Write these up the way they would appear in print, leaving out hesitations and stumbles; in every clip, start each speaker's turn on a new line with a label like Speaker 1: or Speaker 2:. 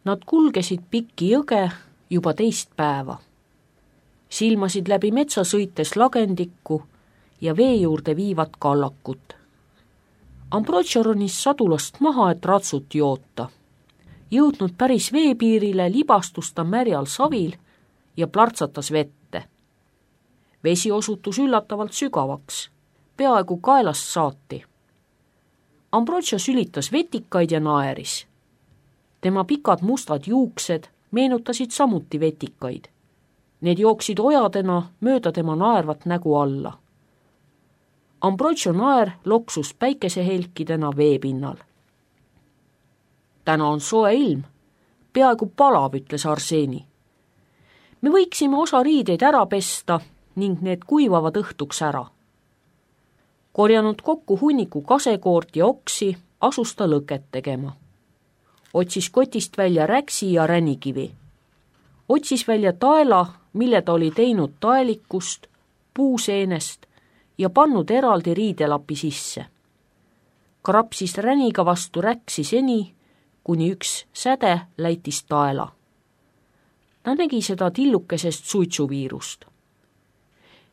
Speaker 1: Nad kulgesid pikki jõge juba teist päeva. Silmasid läbi metsa sõites lagendikku ja vee juurde viivat kallakut. Ambrogio ronis sadulast maha, et ratsut joota. Jõudnud päris veepiirile, libastus ta märjal savil ja plärtsatas vette. Vesi osutus üllatavalt sügavaks, peaaegu kaelast saati. Ambrogio sülitas vetikaid ja naeris. Tema pikad mustad juuksed meenutasid samuti vetikaid. Need jooksid ojadena mööda tema naervat nägu alla. Ambrogio naer loksus päikesehelkidena veepinnal. Täna on soe ilm, peaaegu palav, ütles Arseni. Me võiksime osa riideid ära pesta ning need kuivavad õhtuks ära. Korjanud kokku hunniku kasekoort ja oksi, asus ta lõket tegema. Otsis kotist välja räksi ja ränikivi. Otsis välja taela, mille ta oli teinud taelikust, puuseenest ja pannud eraldi riidelapi sisse. Krapsis räniga vastu räksi seni, kuni üks säde läitis taela. Ta nägi seda tillukesest suitsuviirust.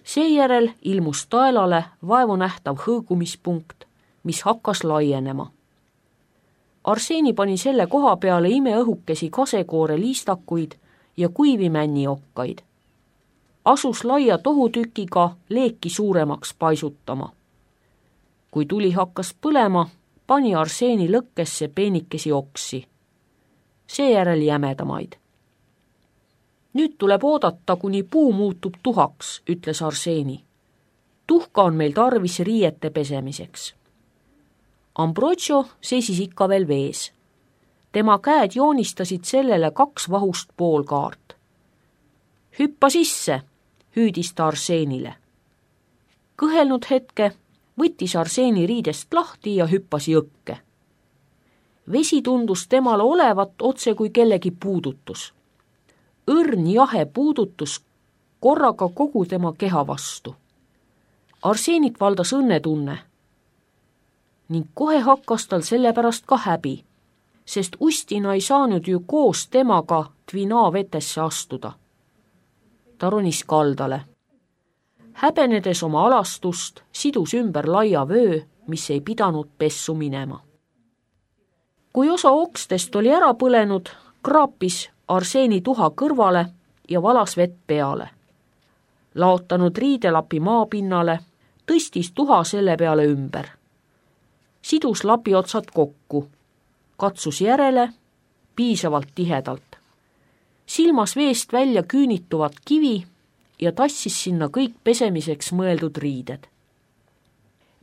Speaker 1: Seejärel ilmus taelale vaevunähtav hõõgumispunkt, mis hakkas laienema. Arseni pani selle koha peale imeõhukesi kasekoore liistakuid ja kuivi männiokkaid. Asus laia tohutükiga leeki suuremaks paisutama. Kui tuli hakkas põlema, pani Arseni lõkkesse peenikesi oksi. Seejärel jämedamaid. Nüüd tuleb oodata, kuni puu muutub tuhaks, ütles Arseni. Tuhka on meil tarvis riiete pesemiseks. Ambrogio seisis ikka veel vees. Tema käed joonistasid sellele 2 vahust poolkaart. Hüppa sisse, hüüdis ta Arsenile. Kõhelnud hetke võttis Arseni riidest lahti ja hüppas jõkke. Vesi tundus temale olevat otse kui kellegi puudutus. Õrn jahe puudutus korraga kogu tema keha vastu. Arsenit valdas õnnetunne ning kohe hakkas tal sellepärast ka häbi, sest Ustina ei saanud ju koos temaga Tvina vetesse astuda. Ta ronis kaldale. Häbenedes oma alastust, sidus ümber laia vöö, mis ei pidanud pessu minema. Kui osa okstest oli ära põlenud, kraapis Arseni tuha kõrvale ja valas vett peale. Laotanud riidelapi maapinnale, tõstis tuha selle peale ümber. Sidus lapi otsad kokku, katsus järele, piisavalt tihedalt. Silmas veest välja küünituvat kivi ja tassis sinna kõik pesemiseks mõeldud riided.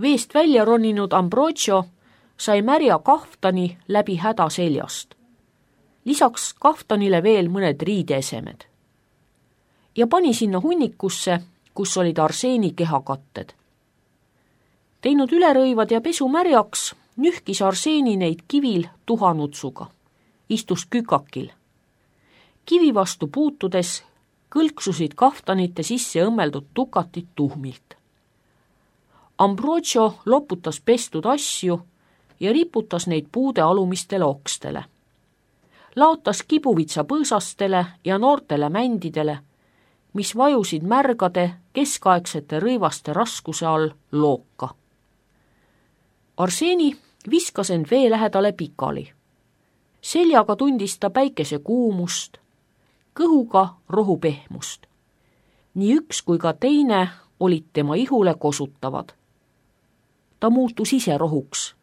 Speaker 1: Veest välja roninud Ambrogio sai märja kaftani läbi häda seljast. Lisaks kaftanile veel mõned riideesemed. Ja pani sinna hunnikusse, kus olid Arseni kehakatted. Teinud ülerõivad ja pesu märjaks, nühkis Arseni neid kivil tuhanutsuga. Istus kükakil. Kivi vastu puutudes kõlksusid kaftanite sisse õmmeldud tukatid tuhmilt. Ambrogio loputas pestud asju ja riputas neid puude alumistele okstele. Laotas kibuvitsa põõsastele ja noortele mändidele, mis vajusid märgade keskaegsete rõivaste raskuse all looka. Arseni viskas end vee lähedale pikali. Seljaga tundis ta päikese kuumust, kõhuga rohu pehmust. Nii üks kui ka teine olid tema ihule kosutavad. Ta muutus ise rohuks.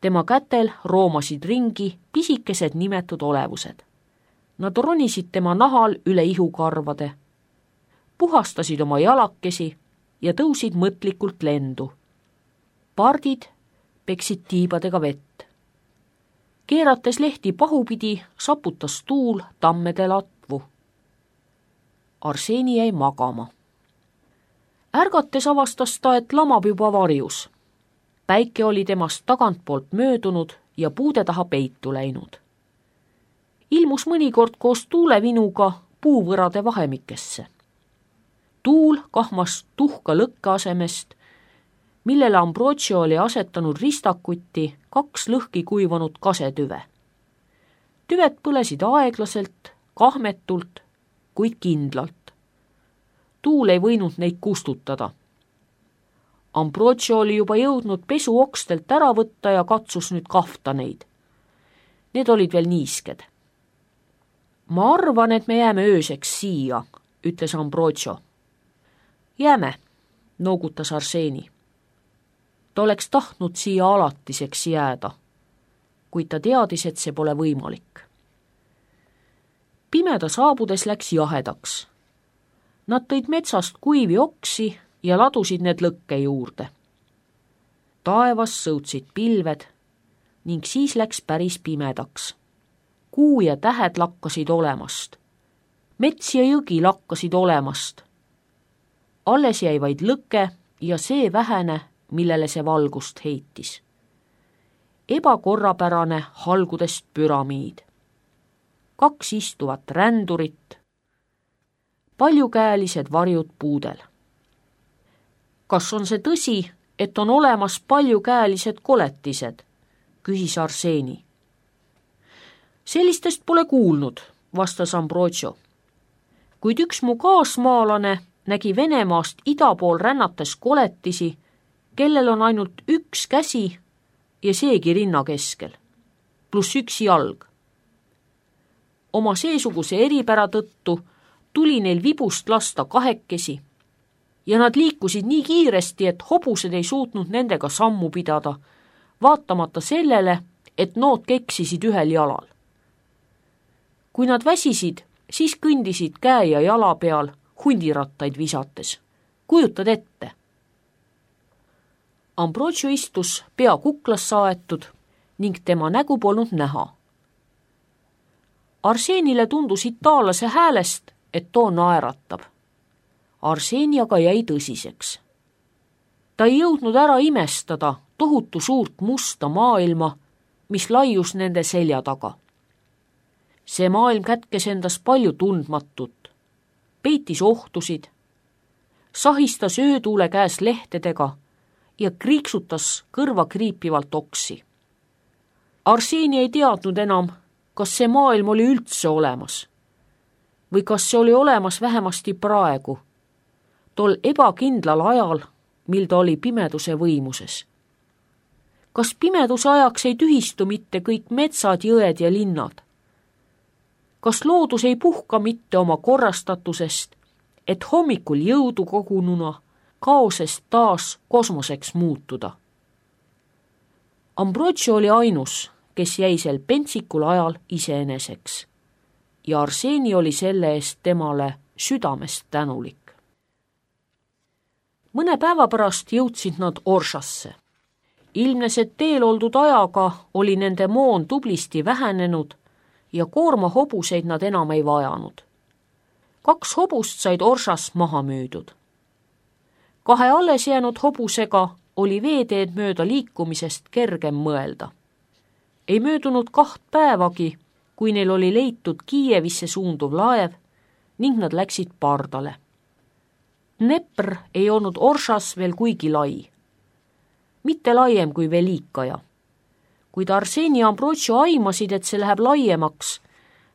Speaker 1: Tema kätel roomasid ringi pisikesed nimetud olevused. Nad ronisid tema nahal üle ihukarvade, puhastasid oma jalakesi ja tõusid mõtlikult lendu. Pardid peksid tiibadega vett. Keerates lehti pahupidi, saputas tuul tammede latvu. Arseni jäi magama. Ärgates avastas ta, et lamab juba varjus. Päike oli temast tagantpoolt möödunud ja puude taha peitu läinud. Ilmus mõnikord koos tuulevinuga puuvõrade vahemikesse. Tuul kahmas tuhka lõkke asemest, millele Ambrogio oli asetanud ristakuti 2 lõhki kuivanud kasetüve. Tüved põlesid aeglaselt, kahmetult, kuid kindlalt. Tuul ei võinud neid kustutada. Ambrogio oli juba jõudnud pesuokstelt ära võtta ja katsus nüüd kahta neid. Need olid veel niisked. Ma arvan, et me jääme ööseks siia, ütles Ambrogio. Jääme, noogutas Arseni. Ta oleks tahtnud siia alatiseks jääda, kuid ta teadis, et see pole võimalik. Pimeda saabudes läks jahedaks. Nad tõid metsast kuivi oksi ja ladusid need lõkke juurde. Taevas sõutsid pilved ning siis läks päris pimedaks. Kuu ja tähed lakkasid olemast. Mets ja jõgi lakkasid olemast. Alles jäi vaid lõke ja see vähene, millele see valgust heitis. Ebakorrapärane halgudest püramiid. 2 istuvat rändurit, paljukäelised varjud puudel. Kas on see tõsi, et on olemas paljukäelised koletised, küsis Arseni. Sellistest pole kuulnud, vastas Ambrogio. Kuid üks mu kaasmaalane nägi Venemaast ida pool rännates koletisi, kellel on ainult 1 käsi ja seegi rinna keskel, pluss 1 jalg. Oma seesuguse eripära tõttu tuli neil vibust lasta 2 ja nad liikusid nii kiiresti, et hobused ei suutnud nendega sammu pidada, vaatamata sellele, et nood keksisid 1 jalal. Kui nad väsisid, siis kõndisid käe ja jala peal hundirattaid visates. Kujutad ette? Ambrogio istus pea kuklas saetud ning tema nägu polnud näha. Arsenile tundus itaallase häälest, et too naeratab. Arseni aga jäi tõsiseks. Ta ei jõudnud ära imestada tohutu suurt musta maailma, mis laius nende selja taga. See maailm kätkes endas palju tundmatut, peitis ohtusid, sahistas öötuule käes lehtedega ja kriiksutas kõrva kriipivalt oksi. Arseni ei teadnud enam, kas see maailm oli üldse olemas või kas see oli olemas vähemasti praegu, tol ebakindlal ajal, mil ta oli pimeduse võimuses. Kas pimeduse ajaks ei tühistu mitte kõik metsad, jõed ja linnad? Kas loodus ei puhka mitte oma korrastatusest, et hommikul jõudu kogununa kaosest taas kosmoseks muutuda? Ambrogio oli ainus, kes jäi sel pentsikul ajal iseeneseks ja Arseni oli selle eest temale südamest tänulik. Mõne päeva pärast jõudsid nad Orshasse. Ilmnes, et teel oldud ajaga oli nende moon tublisti vähenenud ja koorma hobuseid nad enam ei vajanud. 2 hobust said Orshas maha müüdud. 2 alles jäänud hobusega oli veeteed mööda liikumisest kergem mõelda. Ei möödunud 2 päevagi, kui neil oli leitud Kiievisse suunduv laev ning nad läksid pardale. Dnepr ei olnud Orshas veel kuigi lai. Mitte laiem kui Velikaja. Kuid Arseni ja Ambrogio aimasid, et see läheb laiemaks,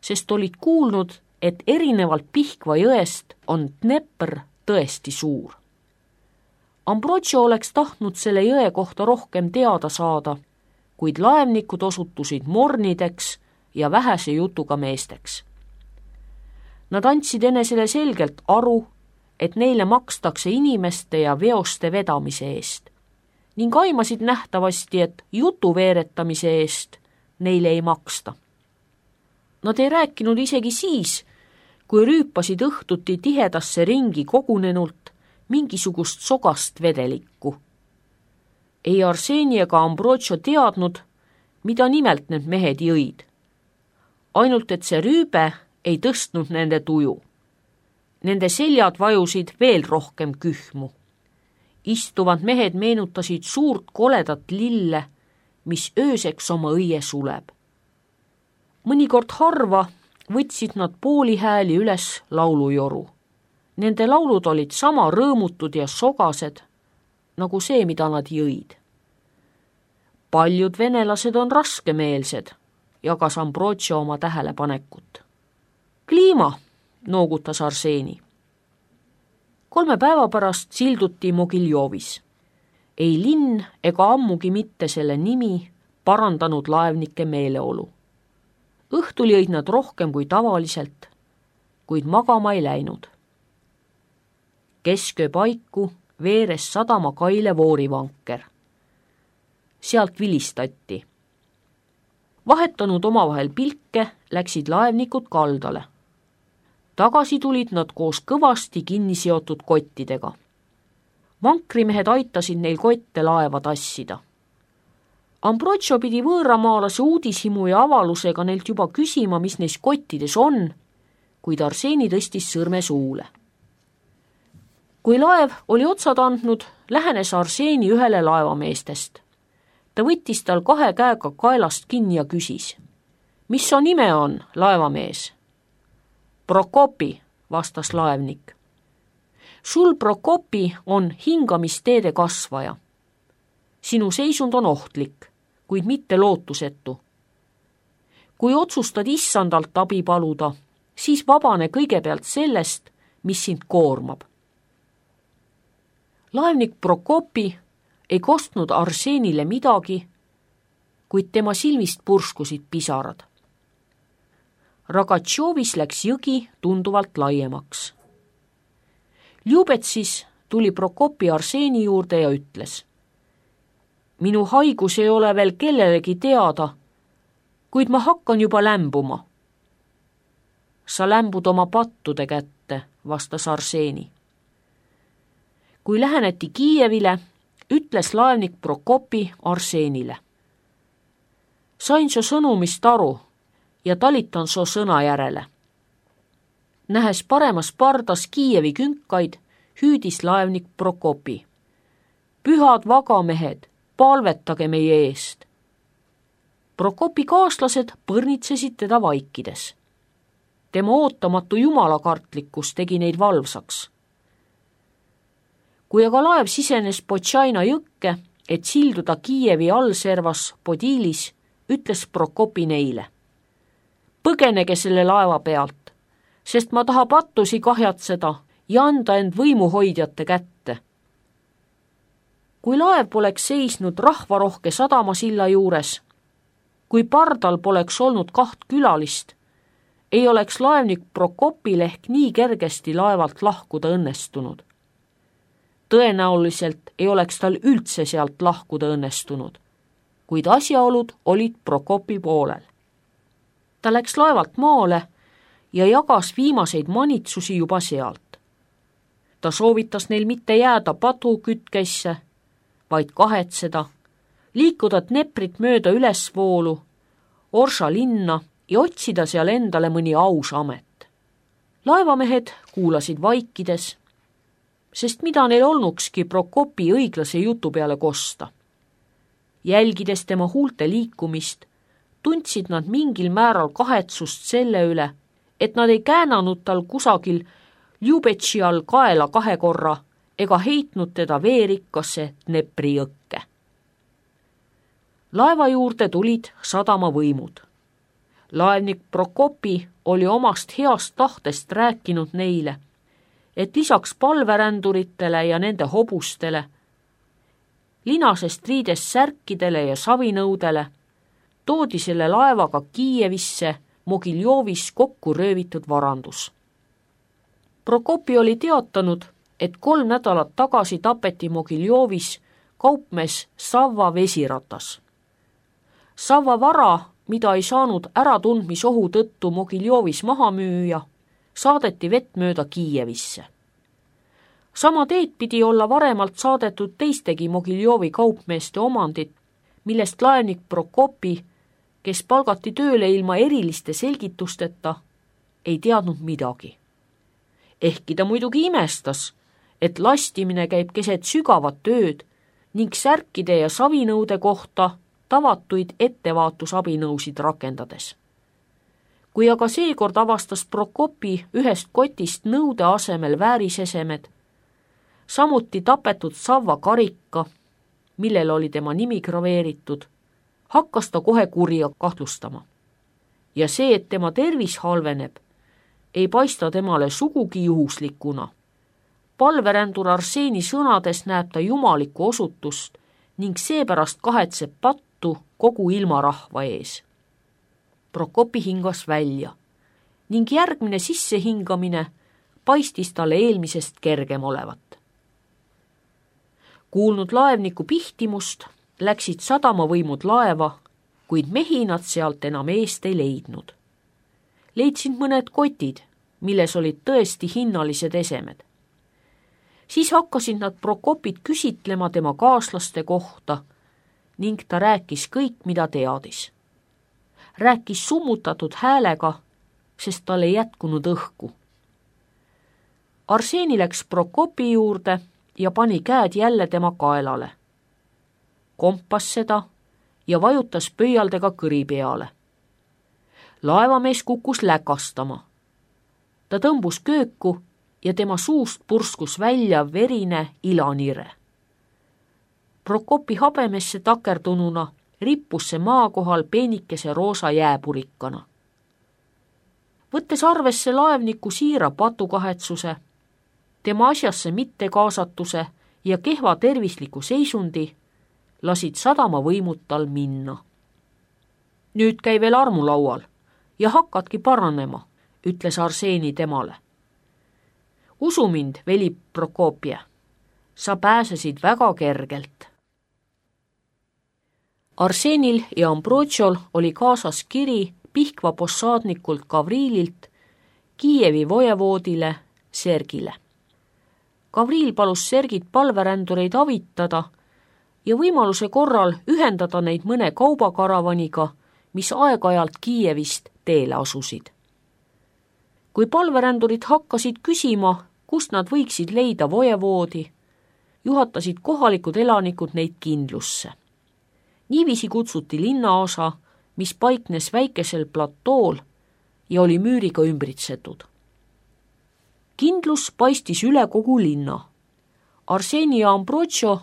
Speaker 1: sest olid kuulnud, et erinevalt Pihkva jõest on Dnepr tõesti suur. Ambrogio oleks tahtnud selle jõe kohta rohkem teada saada, kuid laevnikud osutusid mornideks ja vähese jutuga meesteks. Nad andsid enesele selgelt aru, et neile makstakse inimeste ja veoste vedamise eest ning aimasid nähtavasti, et jutu veeretamise eest neile ei maksta. Nad ei rääkinud isegi siis, kui rüüpasid õhtuti tihedasse ringi kogunenult mingisugust sogast vedelikku. Ei Arseni ega Ambrogio teadnud, mida nimelt need mehed jõid. Ainult, et see rüübe ei tõstnud nende tuju. Nende seljad vajusid veel rohkem kühmu. Istuvad mehed meenutasid suurt koledat lille, mis ööseks oma õie suleb. Mõnikord harva võtsid nad pooli hääli üles laulujoru. Nende laulud olid sama rõõmutud ja sogased, nagu see, mida nad jõid. Paljud venelased on raskemeelsed, jagas Ambrosio oma tähelepanekut. Kliima, noogutas Arseni. 3 päeva pärast silduti Mogiljovis. Ei linn ega ammugi mitte selle nimi parandanud laevnike meeleolu. Õhtul jõid nad rohkem kui tavaliselt, kuid magama ei läinud. Kesköö paiku veeres sadama kaile voorivanker. Sealt vilistati. Vahetanud omavahel pilke, läksid laevnikud kaldale. Tagasi tulid nad koos kõvasti kinni seotud kottidega. Vankrimehed aitasid neil kotte laeva tassida. Ambrosio pidi võõramaalase uudishimu ja avalusega neilt juba küsima, mis neis kottides on, kuid Arseni tõstis sõrme suule. Kui laev oli otsad andnud, lähenes Arseni ühele laevameestest. Ta võttis tal 2 käega kaelast kinni ja küsis. Mis su nime on, laevamees? Prokopi, vastas laevnik. Sul, Prokopi, on hingamisteede kasvaja. Sinu seisund on ohtlik, kuid mitte lootusetu. Kui otsustad issandalt abi paluda, siis vabane kõigepealt sellest, mis sind koormab. Laevnik Prokopi ei kostnud Arsenile midagi, kuid tema silmist purskusid pisarad. Ragatšovis läks jõgi tunduvalt laiemaks. Ljubetsis tuli Prokopi Arseni juurde ja ütles. Minu haigus ei ole veel kellelegi teada, kuid ma hakkan juba lämbuma. Sa lämbud oma pattude kätte, vastas Arseni. Kui läheneti Kiievile, ütles laevnik Prokopi Arsenile. Sain su sõnumist aru ja talitan su sõna järele. Nähes paremas pardas Kiievi künkaid, hüüdis laevnik Prokopi. Pühad vagamehed, palvetage meie eest. Prokopi kaaslased põrnitsesid teda vaikides. Tema ootamatu jumalakartlikkus tegi neid valvsaks. Kui aga laev sisenes Potšaina jõkke, et silduda Kiievi allservas Podilis, ütles Prokopi neile. Põgenege selle laeva pealt, sest ma taha pattusi kahjatseda ja anda end võimuhoidjate kätte. Kui laev poleks seisnud rahvarohke sadamasilla juures, kui pardal poleks olnud 2 külalist, ei oleks laevnik Prokopil ehk nii kergesti laevalt lahkuda õnnestunud. Tõenäoliselt ei oleks tal üldse sealt lahkuda õnnestunud, kuid asjaolud olid Prokopi poolel. Ta läks laevalt maale ja jagas viimaseid manitsusi juba sealt. Ta soovitas neil mitte jääda padukütkesse, vaid kahetseda, liikuda Dneprit mööda ülesvoolu, Orša linna ja otsida seal endale mõni aus amet. Laevamehed kuulasid vaikides, sest mida neil olnukski Prokopi õiglase jutu peale kosta. Jälgides tema huulte liikumist, tundsid nad mingil määral kahetsust selle üle, et nad ei käänanud tal kusagil Ljubetši all kaela 2 korra ega heitnud teda veerikkasse Dnepri jõkke. Laeva juurde tulid sadamavõimud. Laevnik Prokopi oli omast heast tahtest rääkinud neile, et lisaks palveränduritele ja nende hobustele, linasest riidest särkidele ja savinõudele, toodi selle laevaga Kiievisse Mogiljovis kokku röövitud varandus. Prokopi oli teatanud, et 3 nädalat tagasi tapeti Mogiljovis kaupmees Savva vesiratas. Savva vara, mida ei saanud äratundmisohu tõttu Mogiljovis maha müüa, saadeti vett mööda Kiievisse. Sama teed pidi olla varemalt saadetud teistegi Mogiljovi kaupmeeste omandid, millest laevnik Prokopi, kes palgati tööle ilma eriliste selgitusteta, ei teadnud midagi. Ehkki ta muidugi imestas, et lastimine käib keset sügavat ööd ning särkide ja savinõude kohta tavatuid ettevaatusabinõusid rakendades. Kui aga seekord avastas Prokopi ühest kotist nõude asemel väärisesemed, samuti tapetud Savva karika, millel oli tema nimi graveeritud, hakkas ta kohe kurja kahtlustama. ja see, et tema tervis halveneb, ei paista temale sugugi juhuslikuna. Palverändur Arseeni sõnades näeb ta jumalikku osutust ning seepärast kahetseb pattu kogu ilmarahva ees. Prokopi hingas välja ning järgmine sissehingamine paistis talle eelmisest kergem olevat. Kuulnud laevniku pihtimust, läksid sadamavõimud laeva, kuid mehi nad sealt enam eest ei leidnud. Leidsid mõned kotid, milles olid tõesti hinnalised esemed. Siis hakkasid nad Prokopit küsitlema tema kaaslaste kohta ning ta rääkis kõik, mida teadis. Rääkis summutatud häälega, sest tal ei jätkunud õhku. Arseeni läks Prokopi juurde ja pani käed jälle tema kaelale. Kompas seda ja vajutas pöialdega kõri peale. Laevamees kukkus läkastama. Ta tõmbus kööku ja tema suust purskus välja verine ilanire. Prokopi habemesse takerdununa rippus see maa kohal peenikese roosa jääpurikkana. Võttes arvesse laevniku siira patukahetsuse, tema asjasse mittekaasatuse ja kehva tervisliku seisundi, lasid sadamavõimud tal minna. Nüüd käi veel armulaual ja hakkadki paranema, ütles Arseeni temale. Usu mind, veli Prokopje, sa pääsesid väga kergelt. Arseenil ja Ambrotšol oli kaasas kiri Pihkva possaadnikult Gavriililt Kiievi vojevoodile Sergile. Gavriil palus Sergit palverändureid avitada ja võimaluse korral ühendada neid mõne kaubakaravaniga, mis aeg-ajalt Kiievist teele asusid. Kui palverändurid hakkasid küsima, kust nad võiksid leida vojevoodi, juhatasid kohalikud elanikud neid kindlusse. Niiviisi kutsuti linnaosa, mis paiknes väikesel platool ja oli müüriga ümbritsetud. Kindlus paistis üle kogu linna. Arseeni ja Ambrotšo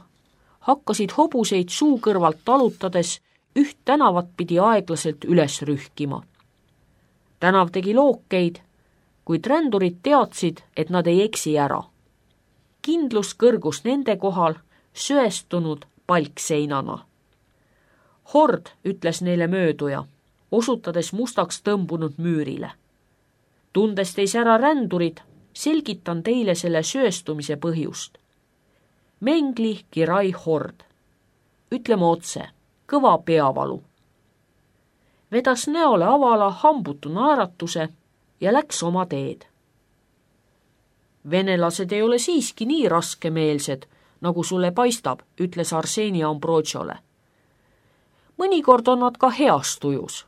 Speaker 1: hakkasid hobuseid suu kõrvalt talutades üht tänavat pidi aeglaselt üles rühkima. Tänav tegi lookeid, kuid rändurid teadsid, et nad ei eksi ära. Kindlus kõrgus nende kohal söestunud palkseinana. Hord, ütles neile mööduja, osutades mustaks tõmbunud müürile. Tundes teis ära rändurid, selgitan teile selle sööstumise põhjust. Mengli Kirai Hord. Ütleme otse, kõva peavalu. Vedas näole avala hambutu naeratuse ja läks oma teed. Venelased ei ole siiski nii raskemeelsed, nagu sulle paistab, ütles Arseeni Ambrotšole. Mõnikord on nad ka heas tujus.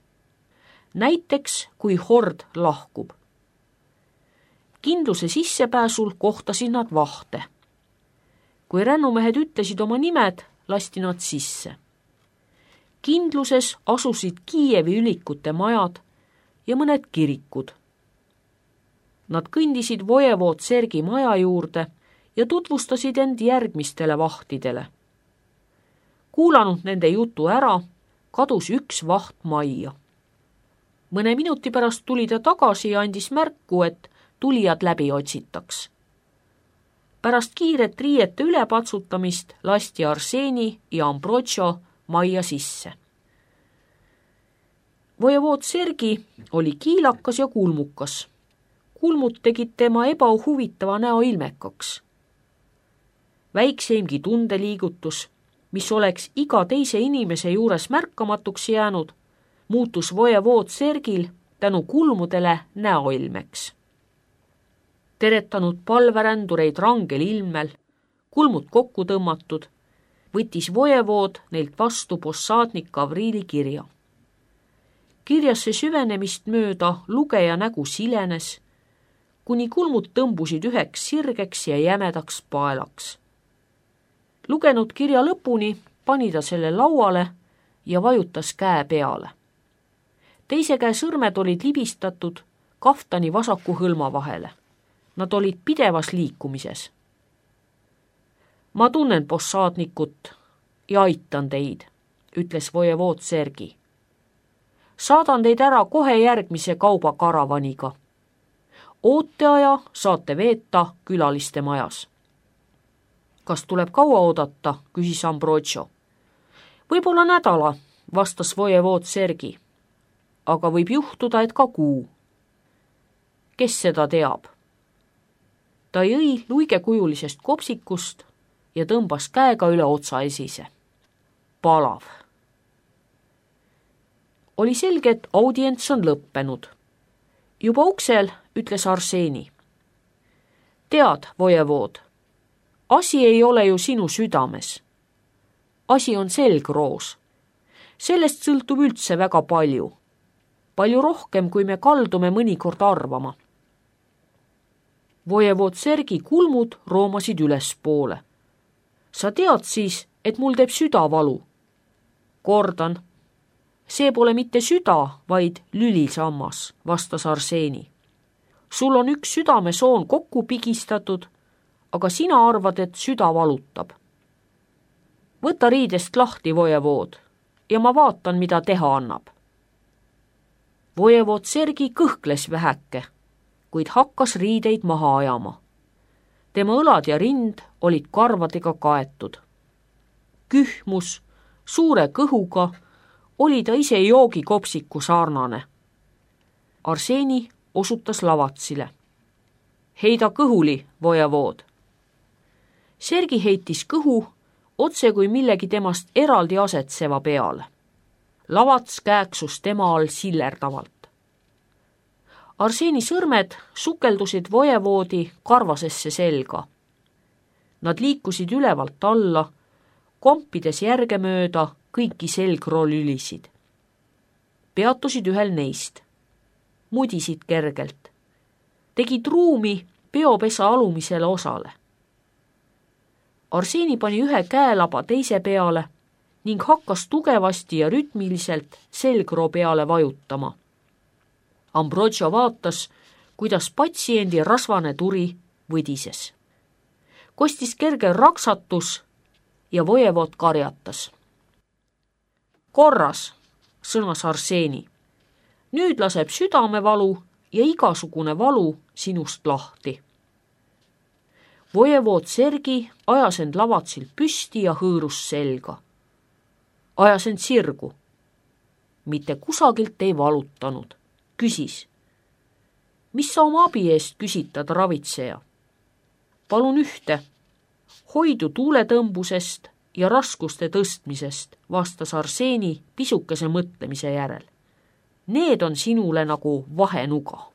Speaker 1: Näiteks, kui Hord lahkub. Kindluse sissepääsul kohtasid nad vahte. Kui rännumehed ütlesid oma nimed, lasti nad sisse. Kindluses asusid Kiievi ülikute majad ja mõned kirikud. Nad kõndisid vojevood Sergi maja juurde ja tutvustasid end järgmistele vahtidele. Kuulanud nende jutu ära, kadus üks vaht majja. Mõne minuti pärast tuli ta tagasi ja andis märku, et tulijad läbi otsitaks. Pärast kiiret riiete ülepatsutamist lasti Arseeni ja Ambrotšo majja sisse. Vojevood Sergi oli kiilakas ja kulmukas. Kulmud tegid tema ebahuvitava näo ilmekaks. Väikseimgi tundeliigutus, mis oleks iga teise inimese juures märkamatuks jäänud, muutus vojevood Sergil tänu kulmudele näoilmeks. Teretanud palverändureid rangel ilmel, kulmud kokku tõmmatud, võttis vojevood neilt vastu possaadnik Gavriili kirja. Kirjasse süvenemist mööda lugeja nägu silenes, kuni kulmud tõmbusid üheks sirgeks ja jämedaks paelaks. Lugenud kirja lõpuni, pani ta selle lauale ja vajutas käe peale. Teise käe sõrmed olid libistatud kaftani vasaku hõlma vahele. Nad olid pidevas liikumises. Ma tunnen possaadnikut ja aitan teid, ütles vojevood Sergi. Saadan teid ära kohe järgmise kaubakaravaniga. Ooteaja saate veeta külaliste majas. Kas tuleb kaua oodata, küsis Ambrogio. Võib-olla nädala, vastas vojevood Sergi. Aga võib juhtuda, et ka kuu. Kes seda teab? Ta jõi luigekujulisest kopsikust ja tõmbas käega üle otsa esise. Palav. Oli selge, et audients on lõppenud. Juba uksel ütles Arseni. Tead, vojevood, asi ei ole ju sinu südames. Asi on selgroos. Sellest sõltub üldse väga palju. Palju rohkem, kui me kaldume mõnikord arvama. Vojevood Sergi kulmud roomasid ülespoole. Sa tead siis, et mul teeb süda valu. Kordan, see pole mitte süda, vaid lülisammas, vastas Arseni. Sul on üks südamesoon kokku pigistatud, aga sina arvad, et süda valutab. Võta riidest lahti, vojevood, ja ma vaatan, mida teha annab. Vojevood Sergi kõhkles vähäke, kuid hakkas riideid maha ajama. Tema õlad ja rind olid karvadega kaetud. Kühmus, suure kõhuga oli ta ise joogikopsiku sarnane. Arseni osutas lavatsile. Heida kõhuli, vojevood. Sergi heitis kõhu otse kui millegi temast eraldi asetseva peale. Lavats kääksus tema all sillerdavalt. Arseni sõrmed sukeldusid vojevoodi karvasesse selga. Nad liikusid ülevalt alla, kompides järgemööda kõiki selgrolülisid. Peatusid ühel neist. Mudisid kergelt. Tegid ruumi peopesa alumisele osale. Arseni pani ühe käelaba teise peale ning hakkas tugevasti ja rütmiliselt selgroo peale vajutama. Ambrogio vaatas, kuidas patsiendi rasvane turi võdises. Kostis kerge raksatus ja vojevood karjatas. Korras, sõnas Arseni. Nüüd laseb südamevalu ja igasugune valu sinust lahti. Vojevood Sergi ajas end lavatsil püsti ja hõõrus selga. Ajas end sirgu. Mitte kusagilt ei valutanud. Küsis. Mis sa oma abi eest küsitad, ravitseja? Palun ühte. Hoidu tuuletõmbusest ja raskuste tõstmisest, vastas Arseni pisukese mõtlemise järel. Need on sinule nagu vahenuga.